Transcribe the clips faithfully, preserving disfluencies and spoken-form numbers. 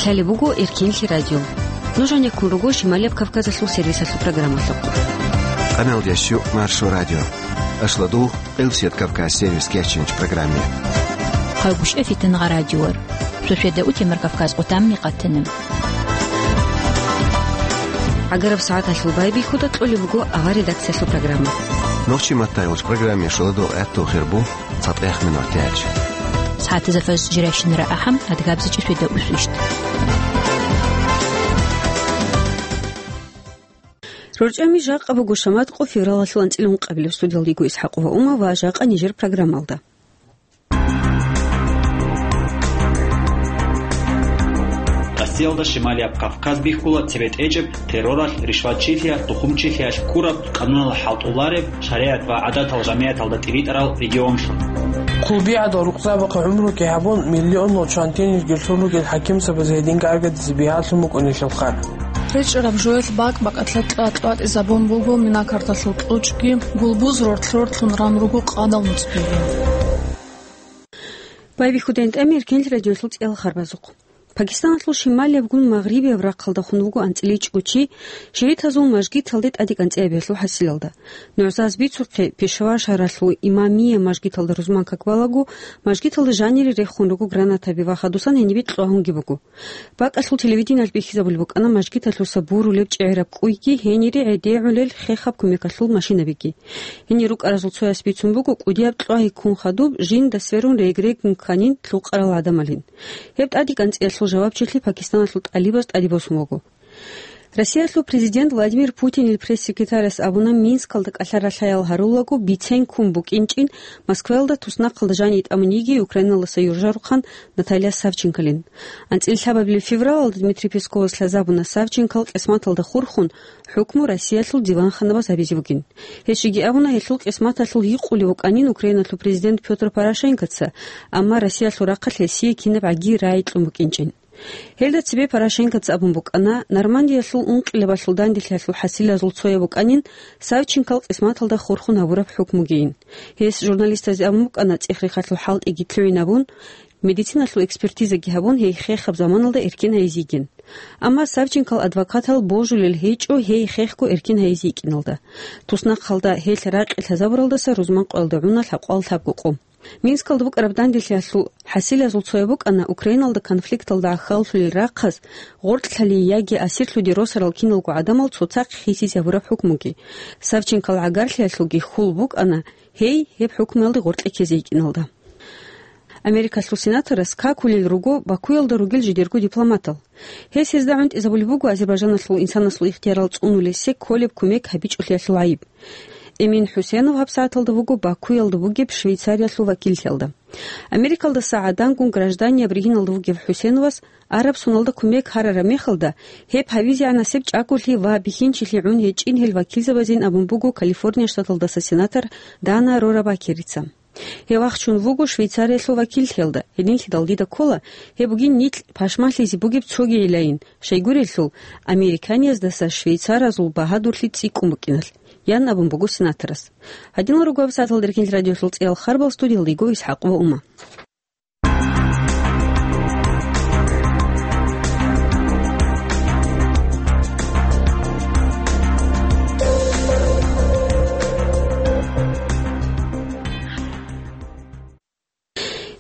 Лъалеб буго Эркенлъи радио. Нуж гьанеккун руго Шималияб Кавказалъул сервисалъул программалъухъ. Къаналдящу Маршо радио. Ашладугъ, Къилсият Кавказ сервис кечинч программе. Хъагушев Фитнагъа радиор. Шошеда утемар Кавказ къутамни къатанам. ГӀагараб сагӀаталъул байбихьуда кьолеб буго авар редакциялъул программа. Нохчи маттайгъуч программе шуладугъ гӀатту хирбу. ЦатӀех минутач. СагӀатазда фаз жирашинара ахӀам, адгабзичӀи шведа усвищ. РорчӀами жакъа буго шамат къо февралалъул анцӀила ункъабилеб. Студиялда йиго ИсхӀакъова Ума ва жакъа нижер программалда. Россиялда Шималияб Кавказ бихьула цебетӀечӀеб терроралъ, ришватчилъиялъ, тухумчилъиялъ ккураб, къануналъ хӀалтӀулареб, шаригӀат ва гӀадатал жамигӀаталда тӀиритӀарал регионлъун. Хъулбигьадал рукъзабахъе гӀумруги гьабун, миллионал чвантинилги лъун ругел хӀакимзабаз гьединги аргадизе бигьалъун букӀунелъул хар. РечӀараб жоялъ бакӀ-бакӀалъа кьа-кьватӀизабун буго минакарталъул кьучӀги, гулбуз рортлъ-рортлъун ран руго къадал нуцӀбиги. Байбихьуда гьанже тӀами Эркенлъи радиолъул цӀиял харбазухъ. Пакистаналъул шималиябгун магърибияб рахъалда хун вуго анцӀила ичӀго чи, шигӀитазул мажгиталде тӀаде кӀанцӀиябиялъул хӀасилалда. НугӀзаз бицухъе, Пешавар шагьаралъул Имамия мажгиталда рузман как балагу, мажгиталда жанире рехун руго гранатаби ва хадусан гьенибе кьвагьунги буго. БакӀалъул телевидениялъ бихьизабулеб букӀана мажгиталъуса бурулеб чӀегӀераб кӀуйги, гьенире гӀедегӀулел хехаб кумекалъул машинабиги. Гьенир рукӀаразул цояс бицун буго кӀудияб кьвагьи ккун хадуб, жинда сверун регрегун кканин лъукъарал гӀадамалин. Гьеб тӀаде кӀанцӀиялъул жавабчилъи Пакистаналъул тӀалибаз тӀаде босун вуго. Россиялъул президент Владимир Путинил пресс-секретарас абуна, Минскалда кӀалъа-ралъаял гьарулаго бицен ккун букӀинчӀин Москваялда туснахъалда жани тӀамун йигей Украиналдаса юржарухъан Наталья Савченколин. АнцӀила лъабабилеб февралалда Дмитрий Песковас лъазабуна Савченкол къисматалда хурхун хӀукму Россиялъул диванханабаз гьабизе бугин. Гьес жеги абуна, гьелъул къисматалъул гьикъулев вукӀанин Украиналъул президент Пётр Порошенкоца, амма Россиялъул рахъалъ гьесие кинаб гӀаги рагӀи кьун букӀинчӀин. Гьелда цебе Порошенкоца абун букӀана, Нормандиялъул ункъилабалъул данделъиялъул хӀасилазул цояб букӀанин Савченкол къисматалда хурхун гьабураб хӀукмугейин. Гьес журналистазде абун букӀана, цӀех-рехалъул хӀалтӀиги лъугӀинабун, медициналъул экспертизаги гьабун, гьей хехаб заманалда эркин гьайизе йигин. Амма Савченкол адвокатал божулел гьечӀо гьей хехго эркин гьайизе йикӀиналда. Туснахъалда гьелъ ракъи лъазабуралдаса рузман къоялда гӀуна лъабкъоялда лъабго къо. Минскалда букӀараб данделъиялъул хӀасилазул цояб букӀана Украиналда конфликталда гӀахьаллъулел рахъаз гъоркьлъали яги асирлъуде росарал киналго гӀадамал цоцахъ хисизе гьабураб хӀукмуги. Савченкол гӀагарлъиялъулги хьул букӀана гьей гьеб хӀукмуялде гъоркье ккезе йикӀиналда. Америкалъул сенаторас какулел руго Бакуялда ругел жидерго дипломатал. Гьес гьезда гӀунтӀизабулеб буго Азербайжаналъул инсанасул ихтиярал цӀунулесе кколеб кумек гьабичӀолъиялъул гӀайиб. Эмин ХӀусенов гьабсагӀаталда вуго Бакуялда бугеб Швейцариялъул вакиллъиялда. Америкалдаса гӀадангун гражданияб ригьиналда вугев ХӀусеновас араб соналда кумек гьарараб мехалда, гьеб гьавизегӀан гьасеб чӀаголъи ва бихьинчилъи гӀун гьечӀин гьел вакилзабазин абун буго Калифорния штаталдаса сенатор Дана Рора Бакерица. Гьев вахчун вуго Швейцариялъул вакиллъиялда. Гьединлъидал дида ккола, гьеб бугин нилъ пашмалъизе бугеб цоги гӀилаин, щайгурелъул, американияздаса швейцаразул багьадурлъи цӀикӀкӀун букӀиналъ, ян абун буго сенаторас. Гьадинал руго гьабсагӀаталда Эркенлъи радиолъул цӀиял харбал. Студиялда йиго ИсхӀакъ ва Ума.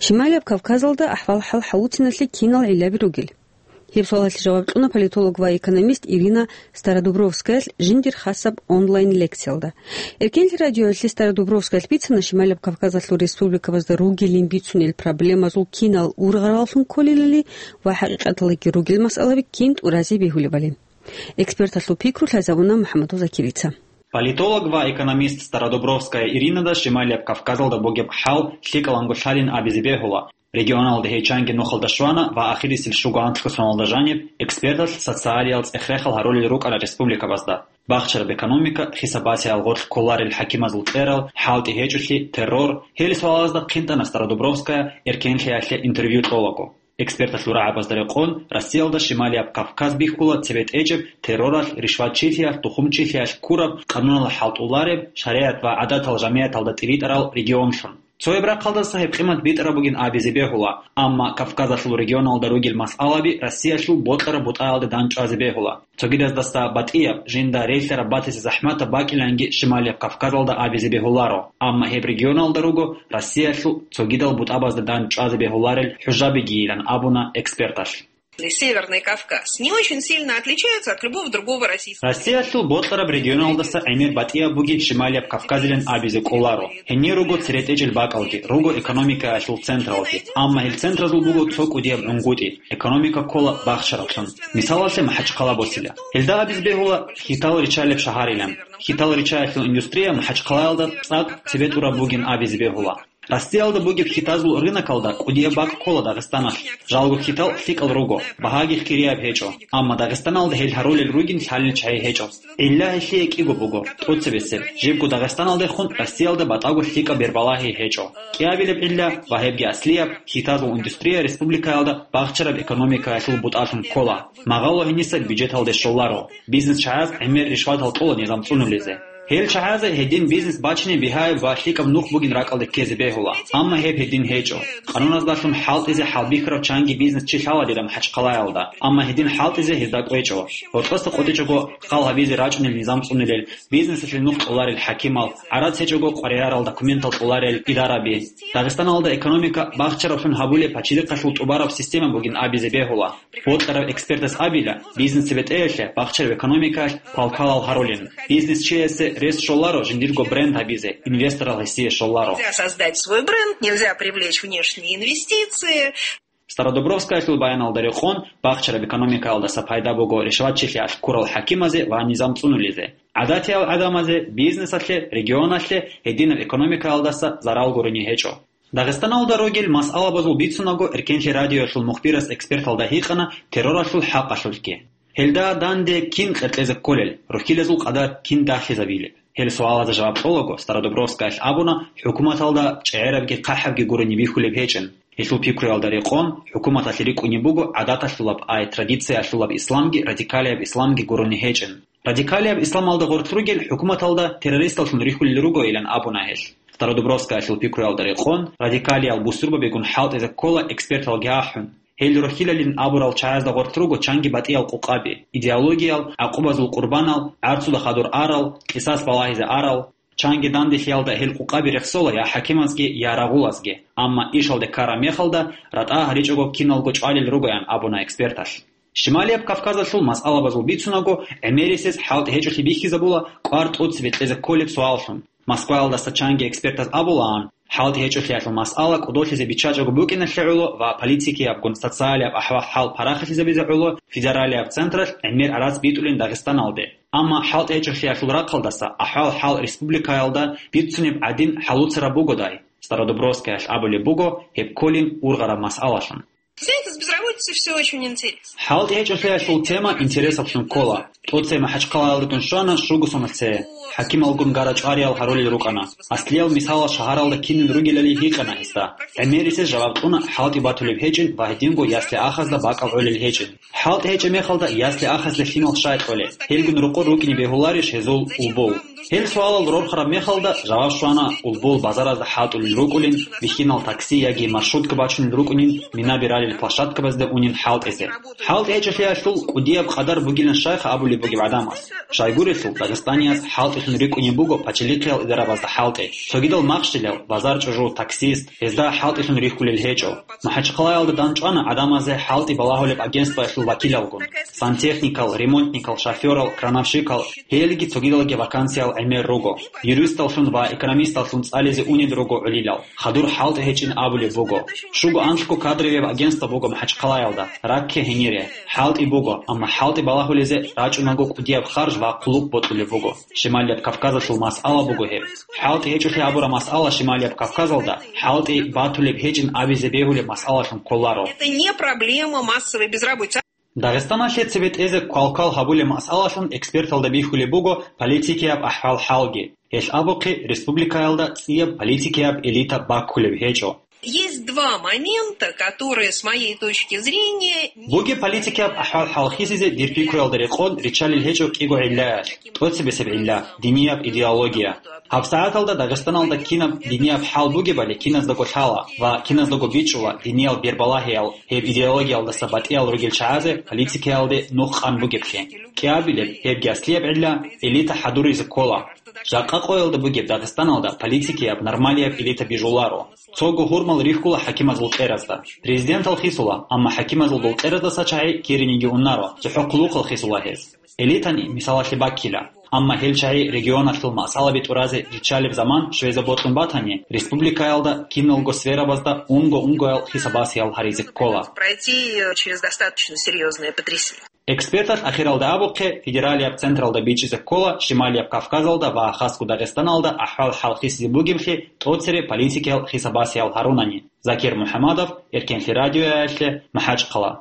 Шималияб Кавказалда ахӀвал-хӀал хӀалуциналъе кинал гӀиллаби ругел? Гьеб суалалъе жаваб кьуна политолог ва экономист Ирина Стародубровскаялъ жиндир хасаб онлайн-лекциялда. Эркенлъи радиоялъе Стародубровскаялъ бицана Шималияб Кавказалъул республикабазда ругелин бицунел проблемазул кинал ургъараллъун кколелали ва хӀакъикъаталдаги ругел масъалаби кин тӀуразе бегьулебали. Эксперталъул пикру лъазабуна МухӀаммадов Закирица. Политолог ва экономист Стародубровская Иринада Шималияб Кавказалда бугеб хӀал лъикӀаланго лъалин абизе бегьула. Регионалда гьей чанги нухалда щвана ва ахирисел щуго анлъго соналда жаниб эксперталъ социалиял цӀех-рехал гьарулел рукӀана республикабазда: бахчараб экономика, хисабасеял гъоркь кколарел хӀакимазул кьерал, хӀалтӀи гьечӀолъи, террор. Гьел суалазда хъинтӀана Стародубровская Эркенлъиялъе интервью кьолаго. Эксперталъул рагӀабазда рекъон, Россиялда Шималияб Кавказ бихьула цебетӀечӀеб терроралъ, ришватчилъиялъ, тухумчилъиялъ ккураб, къануналъ хӀалтӀулареб, шаригӀат ва гӀадатал жамигӀаталда тӀиритӀарал регионлъун. Цояб рахъалдаса гьеб къимат битӀараб бугин абизе бегьула, амма Кавказалъул регионалда ругел масъалаби Россиялъул бокьараб бутӀаялда дандчӀвазе бегьула. Цогидаздаса батӀияб, жинда релълъараб батизе захӀматаб бакӀиланги Шималияб Кавказалда абизе бегьуларо, амма гьеб регионалда руго Россиялъул цогидал бутӀабазда дандчӀвазе бегьуларел хӀужабигийилан абуна эксперталъ. Северный Кавказ не очень сильно отличается от любого другого российского. Россиялъул бокьараб регионалдаса гӀемер батӀияб бугин Шималияб Кавказилан абизе кӀоларо. Гьенир руго цере тӀечӀел бакӀалги, руго экономикаялъул централги. Амма гьел центразул буго цо кӀудияб гӀунгутӀи, экономика ккола бахчараблъун. Мисалалъе, МахӀачхъала босила. Гьелда абизе бегьула хьитал риччалеб шагьарилан. Хьитал риччаялъул индустрия МахӀачхъалаялда цӀакъ цебетӀураб бугин абизе бегьула. Россиялда бугеб хьитазул рынокалда кӀудияб бакӀ ккола Дагъистаналъ. Жалго хьитал лъикӀал руго, багьаги хирияб гьечӀо. Амма Дагъистаналда гьел гьарулел ругин лъалел чагӀи гьечӀо. ГӀилла гьелъие кӀиго буго, тӀоцебесеб, жибго Дагъистаналдехун Россиялда батӀаго лъикӀаб бербалагьи гьечӀо. КӀиабилеб гӀилла, ва гьебги аслияб, хьитазул индустрия республикаялда бахчараб экономикаялъул бутӀалъун ккола. Магъало гьениса бюджеталде щоларо. Бизнес чагӀаз гӀемер ришватал кьола низам цӀунулезе. Гьел чагӀазе гьедин бизнес бачине бигьаяб ва лъикӀаб нух бугин ракӀалде ккезе бегьула, амма гьеб гьедин гьечӀо. Къануназдалъун хӀалтӀизе хӀалбихьарав чанги бизнес чи лъаладила МахӀачхъалаялда, амма гьедин хӀалтӀизе гьезда кӀвечӀо. Гьоркьоса къотӀичӀого хал гьабизе рачӀунел низам цӀунулел, бизнесалъе нух кьоларел хӀакимал, гӀарац гьечӀого къваригӀаралда документал кьоларел идараби. Дагъистаналда экономика бахчараблъун гьабулеб пачалихъалъул тӀубараб система бугин абизе бегьула. Бокьарав экспертас абила, бизнес цебетӀеялъе бахчараб экономикаялъ палкалал гьарулин. Бизнес чиясе рес щоларо жиндирго бренд гьабизе, инвесторал гьесие щоларо. Нельзя создать свой бренд, нельзя привлечь внешние инвестиции. Стародубровскаялъул баяналда рекъон, бахчараб экономикаялдаса пайда буго ришватчилъиялъ ккурал хӀакимазе ва низам цӀунулезе. ГӀадатиял гӀадамазе, бизнесалъе, регионалъе гьединаб экономикаялдаса зарал гурони гьечӀо. Дагъистаналда ругел масъалабазул бицунаго, Эркенлъи радиоялъул мухбирас эксперталда гьикъана терроралъул хӀакъалъулъги. Гьелда данде кин къеркьезе кколел, рухьилазул къадар кин дагьлъизабилеб? Гьел суалазда жаваб кьолаго, Стародубровскаялъ абуна, хӀукуматалда чӀегӀерабги хъахӀабги гурони бихьулеб гьечӀин. Гьелъул пикруялда рекъон, хӀукуматалъе рикӀкӀунеб буго гӀадаталъулаб, ай традициялъулаб исламги радикалияб исламги гурони гьечӀин. Радикалияб исламалда гъорлъ ругел хӀукуматалда террористаллъун рихьулел ругойилан абуна гьелъ. Стародубровскаялъул пикруялда рекъон, радикалиял бусурбабигун хӀалтӀизе ккола эксперталги ахӀун. Гьел рухьилалин абурал чагӀазда гъорлъ руго чанги батӀиял къукъаби, идеологиял, гӀакъубазул къурбанал, гӀарцуда хадур арал, къисас балагьизе арал. Чанги данделъиялда гьел къукъаби рехсола я хӀакимазги, я рагъулазги, амма ишалде ккараб мехалда ратӀа гьаричӀого киналго чӀвалел ругоян абуна эксперталъ. Шималияб Кавказалъул масъалабазул бицунаго, гӀемерисез хӀалтӀи гьечӀолъи бихьизабула кӀвар тӀоцебе кьезе кколеб суаллъун. Москваялдаса чанги экспертаз абулаан, хӀалтӀи гьечӀолъиялъул масъала кӀодолъизе биччачӀого букӀиналъе гӀоло ва политикиябгун социалияб ахӀвал-хӀал парахалъизабизе гӀоло федералияб централъ гӀемер гӀарац битӀулин Дагъистаналде. Амма хӀалтӀи гьечӀолъиялъул рахъалдаса ахӀвал-хӀал республикаялда бицунеб гӀадин хӀалуцараб бугодай, Стародубровскаялъ абулеб буго гьеб кколин ургъараб масъалалъун. Знаете, с безработицей всё очень интересно. ХӀалтӀи гьечӀолъиялъул тема интересаблъун ккола. ТӀоцебе МахӀачхъалаялдагун щвана щуго соналъ цее. ХӀакималгун гара-чӀвариял гьарулел рукӀана. Аслиял мисалал шагьаралда кинин ругелали гьикъана гьесда. ГӀемерисез жаваб кьуна хӀалтӀи батулеб гьечӀин ва гьединго ясли-ахазда бакӀал гӀолел гьечӀин. ХӀалтӀи гьечӀеб мехалда ясли-ахазда лъимал щай кьолел? Гьелгун рокъор рукӀине бегьуларищ гьезул улбул? Гьел суалал рорхараб мехалда жаваб щвана, улбул базаразда хӀалтӀулел рукӀулин, бихьинал такси яги маршрутка бачунел рукӀунин, минаби ралел площадкабазде унин хӀалтӀизе. ХӀалтӀи гьечӀолъиялъул кӀудияб къадар бугилан щайха абулеб бугеб гӀадамас. Щайгурелъул, дагъистанияз хӀалтӀилъун рикӀкӀунеб буго пачалихъиял идарабазда хӀалтӀи. Цогидал махщелал, базар чӀужу, таксист, гьезда хӀалтӀилъун рихьулел гьечӀо. МахӀачхъалаялда дандчӀвана гӀадамазе хӀалтӀи балагьулеб агентствоялъул вакилалгун. Сантехникал, ремонтникал, шофёрал, крановщикал, гьелги цогидалги вакансиял гӀемер руго. Юристаллъун ва экономисталлъун цӀализе унел руго гӀолилал. Хадур хӀалтӀи гьечӀин абулеб буго. Щуго анлъго кадровияб агентство буго МахӀачхъалаялда, ракке гьенире. ХӀалтӀи буго, амма хӀалтӀи балагьулезе рачӀунаго кӀудияб харж ва хъулухъ бокьулеб буго. Шималияб Кавказалъул масъала буго гьеб. ХӀалтӀи гьечӀолъи абураб масъала Шималияб Кавказалда хӀалтӀи батулеб гьечӀин абизе бегьулеб масъалалъун кколаро. Это не проблема массовой безработицы. Дагъистаналъе цебетӀезе квалквал гьабулеб масъалалъун эксперталда бихьулеб буго политикияб ахӀвал-хӀалги. Гьелъ абухъе республикаялда цӀияб политикияб элита баккулеб гьечӀо. Есть два момента, которые, с моей точки зрения, не Бугеб политикияб ахӀвал-хӀал хисизе дир пикруялда рекъон риччалел гьечӀо кӀиго гӀиллаялъ, тӀоцебесеб гӀилла, динияб идеология. ГьабсагӀаталда Дагъистаналда кинаб динияб хӀал бугебали киназдаго лъала ва киназдаго бичӀчӀула диниял бербалагьиял гьеб идеологиялдаса батӀиял ругел чагӀазе политикиялде нух къан бугеблъи. КӀиабилеб, гьебги аслияб гӀилла, элита хӀадуризе ккола. Жакъа къоялда бугеб Дагъистаналда политикияб нормалияб элита бижуларо. Цого гьурмал рихьула хӀакимазул кьеразда. Президентал хисула, амма хӀакимазул дол кьераздаса чагӀи кириниги унаро, цохӀо хъулухъал хисула гьез. Элитани мисалалъе баккила. Амма гьел чагӀи регионалъул масъалаби тӀуразе риччалеб заман щвезе бокьун батани, республикаялда киналго сферабазда унго-унгоял хисабасиял гьаризе ккола. Пройти через достаточно серьёзное потрясение. Эксперталъ ахиралда абухъе, федералияб централда бичӀчӀизе ккола Шималияб Кавказалда ва хасго Дагъистаналда ахӀвал-хӀал хисизе бугеблъи тӀоцере политикиял хисабасиял гьарунани. Закир МухӀамадов, Эркенлъи радиоялъе, МахӀачхъала.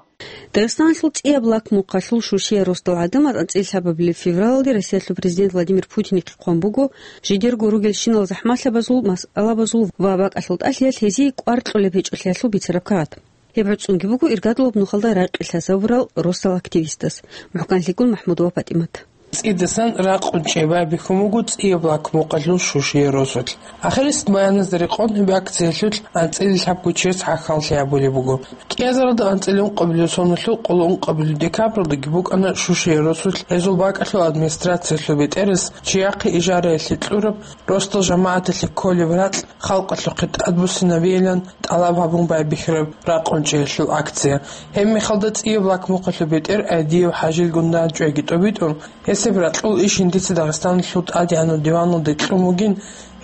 Дагъистаналъул цӀияб лакмухъалъул шушиял росдал гӀадамаз анцӀила лъабабилеб февралалде Россиялъул президент Владимир Путинихъе хъван буго жидерго ругелщинал захӀмалъабазул, масъалабазул ва бакӀалъул тӀалъиялъ гьезие кӀвар кьолеб гьечӀолъиялъул бицараб карат. Гьеб гӀуцӀунги буго иргадулаб нухалда ракъилъа гьавурал росдал активистас. МухӀканлъикӀун МахӀмудова ПатӀимат. ЦӀидасан ракъун чӀей байбихьун буго цӀияб лакмухъалъул шушиял росулъ. Ахирисеб баяназда рекъон гьеб акциялъулъ анцӀила лъабго чияс гӀахьаллъи гьабулеб буго. КӀиазаралда анцӀила ункъабилеб соналъул къоло ункъабилеб декабралдаги букӀана шушиял росулъ гьезул бакӀалъул администрациялъул бетӀерас чияхъе ижараялъе кьураб, росдал жамагӀаталъе кколеб ракь халкъалъухъе тӀадбуссинабейилан тӀалаб гьабун байбихьараб ракъун чӀеялъул акция. Гьеб мехалда цӀияб лакмухъалъул бетӀер Айдиев ХӀажил гундан чӀвайги тӀобитӀун, гьесеб ракьул иш жиндица Дагъистаналъул тӀадегӀанав диваналде кьун бугин,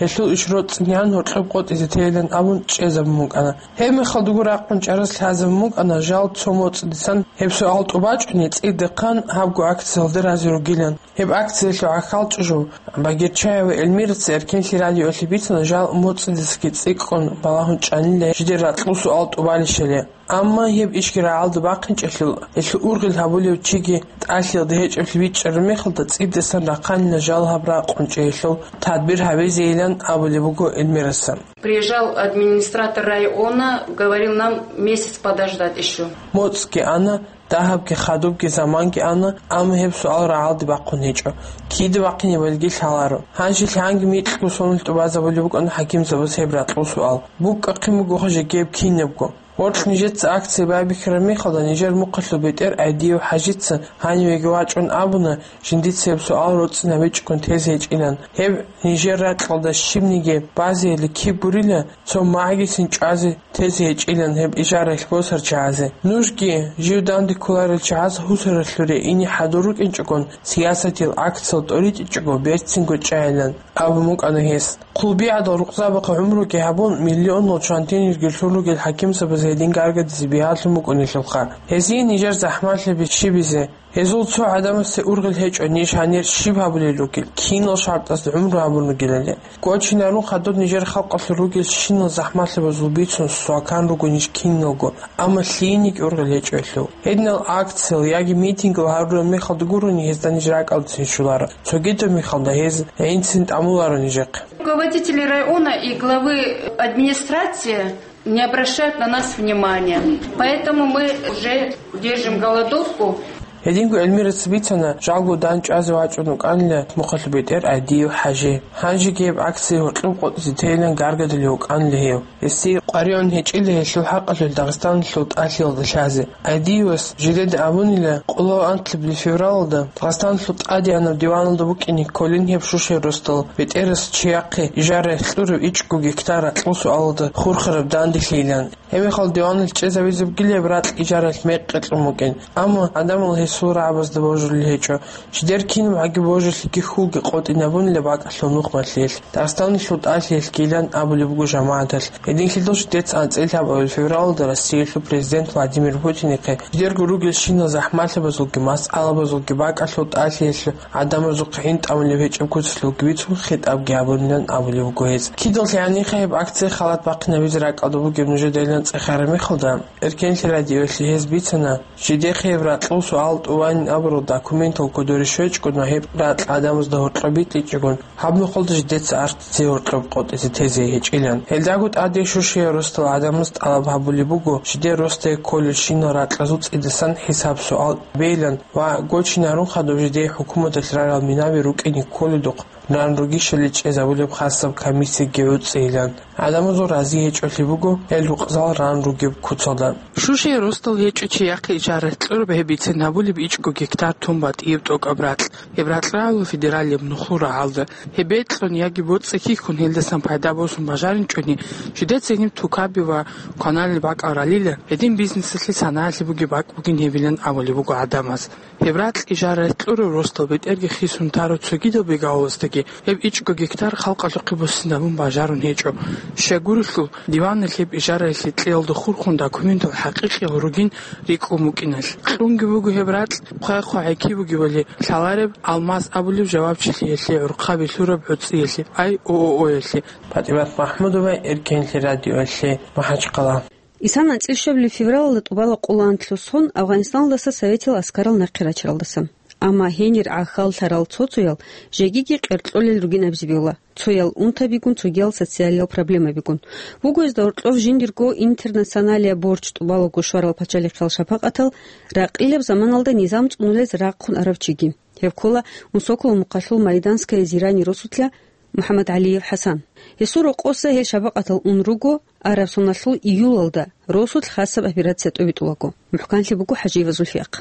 гьелъул иш роцӀцӀинегӀан гьоркьоб къотӀизе тейилан абун чӀезабун букӀана. Гьеб мехалдаго ракъун чӀарас лъазабун букӀана жал цо моцӀидасан гьеб суал тӀубачӀони цӀидахъан гьабго акциялда рази ругилан. Гьеб акциялъул гӀахьалчӀужу Багирчаева Эльмираца Эркенлъи радиоялъе бицана жал моцӀидасги цӀикӀкӀун балагьун чӀанила жидер ракьул суал тӀубалищали. Амма гьеб ишги рагӀалда бахъинчӀелъул, гьелъул ургъел гьабулев чиги тӀалъиялда гьечӀеблъи бичӀчӀараб мехалда цӀидасан рахъанила жал гьаб ракъун чӀеялъул тадбир гьабизейилан абулеб буго Эльмираса. Приезжал администратор района, говорил нам месяц подождать ещё. МоцӀги ана, дагьабги хадубги заманги ана, амма гьеб суал рагӀалде бахъун гьечӀо. Кида бахъинебалги лъаларо. Гьанже лъанги микьго соналъ тӀубазабулеб букӀана хӀакимзабаз гьеб ракьул суал. БукӀахъин бугоха жеги гьеб кинабго. Гьоркь нижеца акция байбихьараб мехалда нижер мухъалъул бетӀер Айдиев ХӀажица гьанивеги вачӀун абуна, жиндица гьеб суал роцӀцӀинабичӀого тезе гьечӀилан. Гьеб нижер ракьалда щибниги базейилан киб гурила, цо магӀгицин чӀвазе тезе гьечӀилан гьеб ижараялъ босарчагӀазе. Нужги, жив данде кколарел чагӀаз гьусаралъуре ине хӀадур рукӀинчӀогон, сиясатил акциял тӀоритӀичӀого берцинго чӀайилан абун букӀана гьес. Хъулби гӀадал рукъзабахъе гӀумруги гьабун, миллионал чвантинирги лъун ругел хӀакимзабаз гьедин гаргадизе бигьаллъун букӀунелъулха. Гьезие нижер захӀмалъаби щибизе? Гьезул цо гӀадамасде ургъел гьечӀо ниж гьанир щиб гьабулел ругел, кинал шартӀазда гӀумру гьабун ругелали. Кочинарун хадуб нижер халкъалъур ругел щинал захӀмалъабазул бицун свакан руго ниж киналго, амма лъиениги ургъел гьечӀо гьелъул. Гьединал акциял яги митингал гьарураб мехалда гурони гьезда ниж ракӀалдецин щоларо. Цогидаб мехалда гьез гӀинцин тӀамуларо нижехъе. Руководители района и главы администрации не обращают на нас внимания. Поэтому мы уже держим голодовку. Гьединго Эльмираца бицана, жалго дандчӀвазе вачӀун вукӀанила мухъалъул бетӀер Айдиев ХӀажи. Гьанжеги гьеб акция гьоркьоб къотӀизе тейилан гаргадулев вукӀанила гьев. Гьесие къваригӀун гьечӀила гьелъул хӀакъалъулъ Дагъистаналъул тӀалъиялда лъазе. Айдиевас жидеда абунила, къоло анлъабилеб февралалда Дагъистаналъул тӀадегӀанав диваналда букӀине кколин гьеб шушер росдал бетӀерас чияхъе ижаралъ кьураб ичӀго гектар ракьул суалалда хурхараб данделъийилан. Гьеб мехалда диваналъ чӀезавизе бугила гьеб ракь ижаралъ мекъи кьун букӀин. Амма гӀадамал гьесул рагӀабазда божулел гьечӀо. Жидер кинабгӀаги божулелъиги хьулги къотӀинабунила бакӀалъул нухмалъиялъ, Дагъистаналъул тӀалъиялъгийилан абулеб буго жамагӀаталъ. Гьединлъидал жидеца анцӀила лъабабилеб февралалда Россиялъул президент Владимир Путинихъе жидерго ругелщинал захӀмалъабазулги масъалабазулги бакӀалъул тӀалъиялъул гӀадамазухъе гӀин тӀамулеб гьечӀеб куцалъулги бицун хитӀабги гьабунилан абулеб буго гьез. Кидал лъагӀаниха гьеб акция халат бахъинабизе ракӀалда бугеб нужедайилан ЦӀехараб мехалда, Эркенлъи радиоялъе гьез бицана, жидехъе гьеб ракьул суал тӀуванин абурал документал кодоре щвечӀого ва гьеб ракь гӀадамазда гьоркьоб битӀичӀого, гьаб нухалда жидеца арцлъизе гьоркьоб къотӀизе тезе гьечӀилан. Гьелдаго тӀаде Шушиял росдал гӀадамаз тӀалаб гьабулеб буго, жидер росдае кколелщинал ракьазул цӀидасан хӀисаб-суал бейилан ва гочинарун хадуб жидее хӀукуматалъ рарал минаби рукӀине кколедухъ ран ругищали чӀезабулеб хасаб комиссияги гӀуцӀейилан. ГӀадамазул рази гьечӀолъи буго, гьел рукъзал ран ругеб куцалда. Шушиял росдал гьечӀо чияхъе ижарат кьураб гьеб бицен гьабулеб ичӀго гектар тун батӀияб тӀокӀаб ракь. Гьеб ракь рагӀула федералияб нухлул рагӀалда. Гьеб бекьун яги боцӀи хьихьун гьелдасан пайда босун бажаринчӀони, жидеца гьеб тукаби ва каналил бакӀал ралила, гьедин бизнесалъе санаялъе бугеб бакӀ бугин гьебилан абулеб буго гӀадамаз. Гьеб ракь ижарат кьурав росдал бетӀерги хисун тарав цогидал бегавулаздаги гьеб ичӀго гектар халкъалъухъе буссинабун бажарун гьечӀо. Щайгурелъул, диванал гьеб ижараялъе кьеялда хурхун документал хӀакъикъиял ругин рикӀкӀун букӀиналъ. Кьунги буго гьеб ракь хъвай-хъвай гӀеки бугебали лъалареб Алмаз абулев жавабчилъиялъе гӀурхъаби лъураб гӀуцӀиялъе, ай, ООО-ялъе. ПатӀимат Махмудова, Эркенлъи радиоялъе, МахӀачхъала. Исан анцӀил щвабилеб февралалда тӀубала къулаантлъун сон Афганистаналдаса советил аскарал нахъе рачаралдасан. Амма гьенир гӀахьаллъарал цо-цоял жегиги къеркьолел ругин абизе бегьула, цоял унтабигун, цогиял социалиял проблемабигун. Буго гьезда гьоркьов жиндирго интернационалияб борчӀ тӀубалаго щварал пачалихъал шапакъатал ракъилаб заманалда низам цӀунулез рахъун арав чиги. Гьев ккола Унсоколо мухъалъул Майданское Зирани росулъа МухӀаммад ГӀалиев ХӀасан. Гьесул рокъоса гьел шапакъатал ун руго, араб соналъул июлалда росулъ хасаб операция тӀобитӀулаго. МухӀканлъи буго ХӀажиева Зульфиялъ.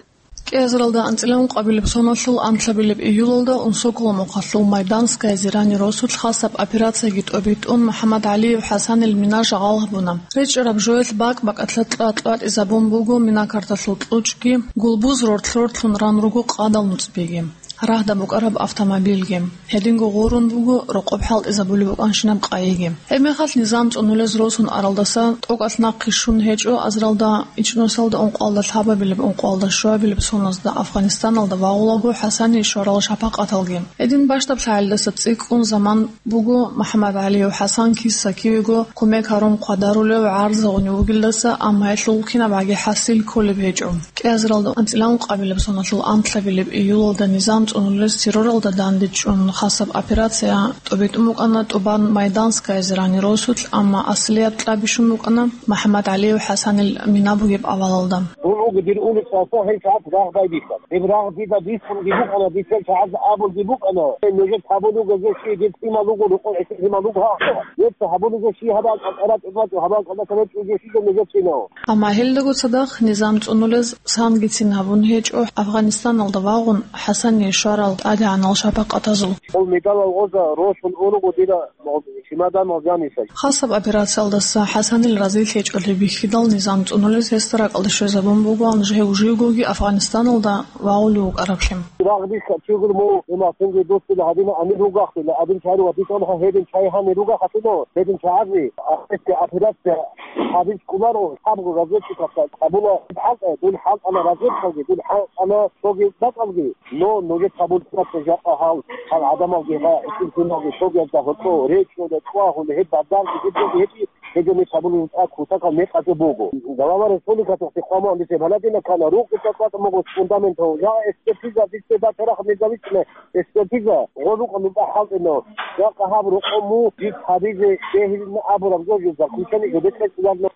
КӀиазаралда анцӀила ункъабилеб соналъул анлъабилеб июлалда Унсоколо мухъалъул Майданское Зирани росулъ хасаб операцияги тӀобитӀун МухӀаммад ГӀалиев ХӀасанил мина жагъал гьабуна. РечӀараб жоялъ бакӀ-бакӀалъа кьа-кьватӀизабун буго мина карталъул кьучӀги, гулбуз рортлъ-рортлъун ран руго къадал нуцӀбиги, рагьда букӀараб автомобильги. Гьединго гъурун буго рокъоб хӀалтӀизабулеб букӀанщинаб къайиги. Гьебмехалъ низам цӀунулез росун аралдаса тӀокӀалъ нахъе щун гьечӀо азаралда ичӀнусалда ункъалда лъабабилеб-ункъалда щуабилеб соназда Афганистаналда вагъулаго ХӀасание щварал шапакъаталги. Гьедин бащдаб лъагӀалдаса цӀикӀкӀун заман буго МухӀаммад ГӀалиев ХӀасан киса-кивего кумек гьарун хъвадарулев, гӀарза гъунев вугелдаса, амма гьелъул кинабгӀаги хӀасил кколеб гьечӀо. КӀиазаралда анцӀила ункъабилеб соналъул анлъабилеб июлалда низам цӀунулез терроралда дандечӀун хасаб операция тӀобитӀун букӀана тӀубан Майданское Зирани росулъ, амма аслияб кьа бищун букӀана МухӀаммад ГӀалиев ХӀасанил мина бугеб авалалда. Дун уго дир улицаялъ гьел чагӀаз рагъ байбихьана. Гьеб рагъ дида бихьунги букӀана, дица чагӀаз абулги букӀана: «Нужеца гьабулего жо щиб, дир лъимал руго, рокъов гӀисин лъимал руго гьаб. Нужеца гьабулего щиб, гьаб акӀалтӀараб чӀужу, гьаб акӀалда калеб чӀужу щиб нужецинав». Амма гьелдаго цадахъ низам цӀунулез сангицин гьабун гьечӀо Афганистаналда вагъун ХӀасание щварал тӀадегӀанал шапакъатазул. Хъул медалал гъоза росун уруго дира чемоданал жаниса. Хасаб операциялдаса ХӀасанил разилъичӀолъи бихьидал низам цӀунулез гьесда ракӀалде щвезабун бугоан жив-живгоги Афганистаналда вагъулев вукӀараблъи. Рагъ бихьа чигур му, имасунги дусила гьадина амир ругахъила, адин чари ва битӀун гьедин чай гьани ругахъатуно, гьедин чагӀази, ахирти операция гьабиз кколаро, лъабго разведчикасда абула: «ХӀалкӀа, дун хӀалкӀана разведкалги, дун хӀалкӀана цоги бакӀалги, но нужеца гьабулеб жакъа гьал, гьал гӀадамалги ва гӀисинлъуналги цогиязда гьоркьо речӀчӀуна, цӀвагьуна, гьеб бадарги, гьеб жоги гьечӀи, гьединаб гьабулеб кутакал мекъазул буго. Глава республикалъухъе хъван-, гьанже балагьиналъ ккана, рукъи цӀакъ-цӀакъ буго фундаментал, жагӀа экспертиза, дица бачарахъ независимая экспертиза, гъо рукъа нуба хӀалтӀина, жакъа гьаб рокъо му, жид гьабизе бегьилин абураб жо, жо заключение, жо бетӀер цӀударна».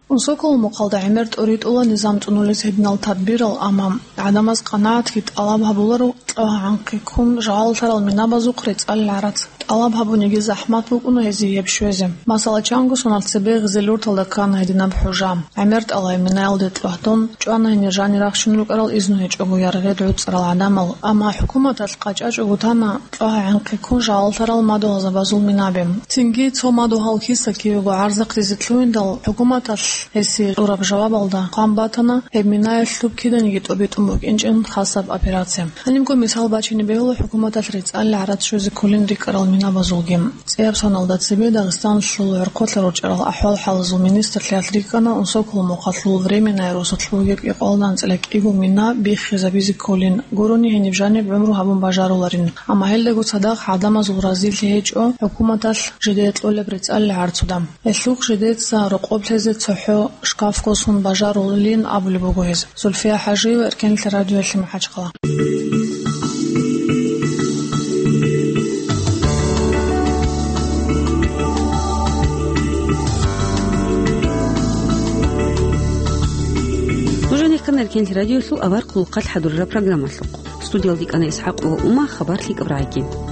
Унсоколо мухъалда гӀемер тӀоритӀула низам цӀунулес гьединал тадбирал, амма гӀадамаз къанагӀатги тӀалаб гьабуларо кьвагӀанхъи ккун жагьаллъарал минабазухъ рецӀал гӀарац. ТӀалаб гьабуниги захӀмат букӀуна гьезие гьеб щвезе. Масала, чанго соналъ цебе Гъизелюрталда ккана гьединаб хӀужа. ГӀемер тӀалай минаялде тӀвагьдун чӀвана гьенир жанир рахщун рукӀарал изну гьечӀого яргъед гӀуцӀарал гӀадамал, амма хӀукуматалъ къачӀачӀого тана кьвагӀанхъи ккун жагьаллъарал мадугьалзабазул минаби. Цинги цо мадугьал киса-кивего гӀарзахъ дизе лъугьиндал, хӀукуматалъ гьесие кьураб жавабалда хъван батана гьеб минаялъуб киданиги тӀобитӀун букӀинчӀин хасаб операция. Гьанибго мисал бачине бегьула хӀукуматалъ рецӀал гӀарац щвезе кколин рикӀкӀарал минабазулги. ЦӀияб соналда цебе Дагъистаналъул гӀорхъолъа ручӀарал ахӀвал-хӀалазул министрлъиялъ рикӀкӀана Унсоколо мухъалъул Временное росулъ бугеб кӀикъоялда анцӀила кӀиго мина биххизабизе кколин, гурони гьениб жаниб гӀумру гьабун бажаруларин. Амма гьелдаго цадахъ гӀадамазул разилъи гьечӀо хӀукуматалъ жидее кьолеб рецӀалил гӀарцуда. Гьелъухъ жидеца рокъоб лъезе цохӀо гьо шкаф косун бажарулин абулеб буго гьез. Зульфия ХӀажиева, Эркенлъи радиоялъе, МахӀачхъала. Нуж гьанихъан Эркенлъи радиоялъул авар хъулухъалъ хӀадурараб программалъухъ. Студиялда ккана ИсхӀакъ ва Ума, хабар лъикӀаб рагӀиги.